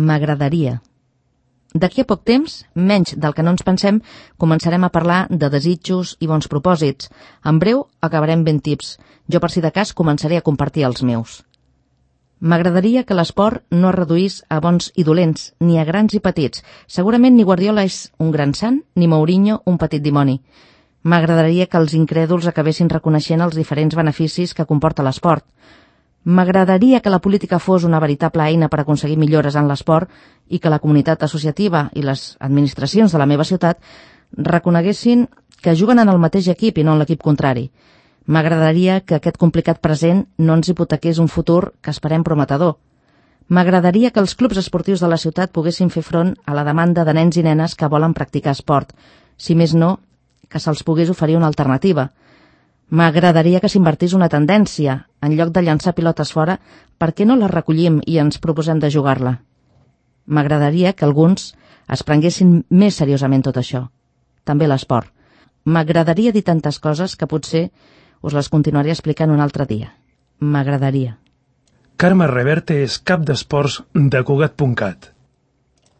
M'agradaria. D'aquí a poc temps, menys del que no ens pensem, començarem a parlar de desitjos i bons propòsits. En breu acabarem ben tips. Jo, per si de cas, començaré a compartir els meus. M'agradaria que l'esport no es reduís a bons i dolents, ni a grans i petits. Segurament ni Guardiola és un gran sant, ni Mourinho un petit dimoni. M'agradaria que els incrèduls acabessin reconeixent els diferents beneficis que comporta l'esport. M'agradaria que la política fos una veritable eina per aconseguir millores en l'esport i que la comunitat associativa i les administracions de la meva ciutat reconeguessin que juguen en el mateix equip i no en l'equip contrari. M'agradaria que aquest complicat present no ens hipotequés un futur que esperem prometedor. M'agradaria que els clubs esportius de la ciutat poguessin fer front a la demanda de nens i nenes que volen practicar esport. Si més no, que se'ls pogués oferir una alternativa. M'agradaria que s'invertís una tendència. En lloc de llançar pilotes fora, per què no les recollim i ens proposem de jugar-la? M'agradaria que alguns es prenguessin més seriosament tot això. També l'esport. M'agradaria dir tantes coses que potser us les continuaré explicant un altre dia. M'agradaria. Carme Reverte és cap d'esports de Cugat.cat.